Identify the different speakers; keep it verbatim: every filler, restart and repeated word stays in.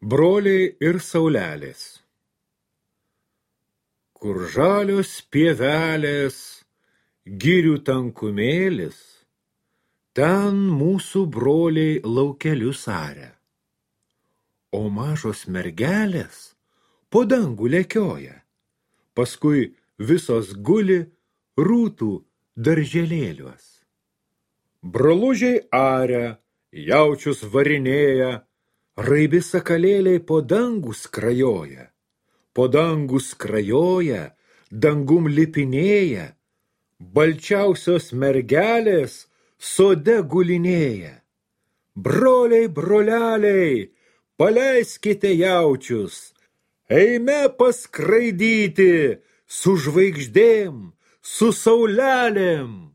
Speaker 1: Broliai ir saulelės. Kur žalios pievelės, girių tankumėlis, ten mūsų broliai laukelius aria. O mažos mergelės po dangų lekioja, paskui visos guli rūtų darželėliuos. Brolužiai aria, jaučius varinėja, raibi sakalėliai po dangų skrajoja, po dangų skrajoja, dangum lipinėja, balčiausios mergelės sode gulinėja. Broliai, broleliai, paleiskite jaučius, eime paskraidyti su žvaigždėm, su saulelėm.